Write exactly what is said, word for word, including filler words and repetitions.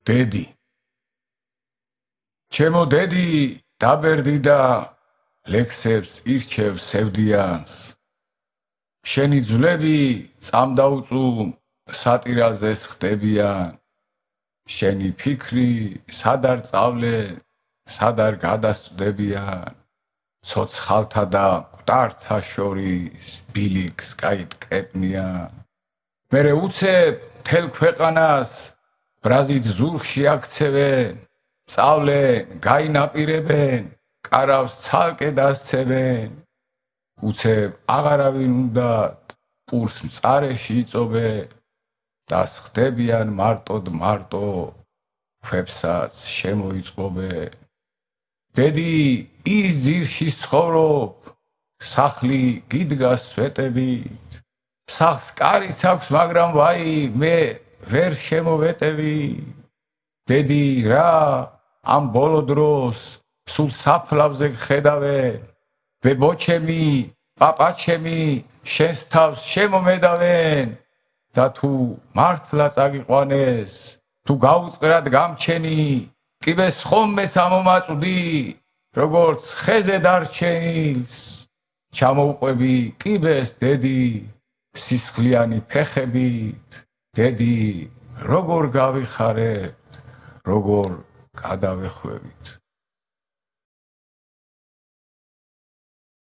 დედი ჩემო დედი დაბერდი და ლექსებს ირჩევ სევდიანს შენი ძვლები წამდაუწუმ სატირალზეს ხდებიან შენი ფიქრი სად არ წავლენ სად არ გადასწდებიან ცოცხალთა და მკვდართა შორის ბილიქს გაიტკეპნიან მერე უცებ მთელ ქვეყანას ბრაზით ზურგში აქცევენ წავლენ გაინაპირებენ კარავს ცალკე დასცევენ უცებ აღარავინ უნდათ პურს მწარეში იწობენ დასხდებიან მარტოდ მარტო ქვებსაც შემოიწყობენ დედი ის ძირში ცხოვრობ სახლი გიდგას სვეტებით სახლს კარიც აქვს მაგრამ ვაი მე ვერ შემოვეტევი დედი რა ამ ბოლო დროს სულ საფლავზე გხედავენ ბებოჩემი პაპაჩემი შენს თავს შემომედავენ და თუ მართლა წაგიყვანეს თუ გაუწყრად გამჩენი კიბეს ხომმეც ამომაწვდი როგორც ხეზე დარჩენილს ჩამოუყვები კიბეს დედი სისხლიანი ფეხებით დედი როგორ გავიხარებთ როგორ გადავეხვევით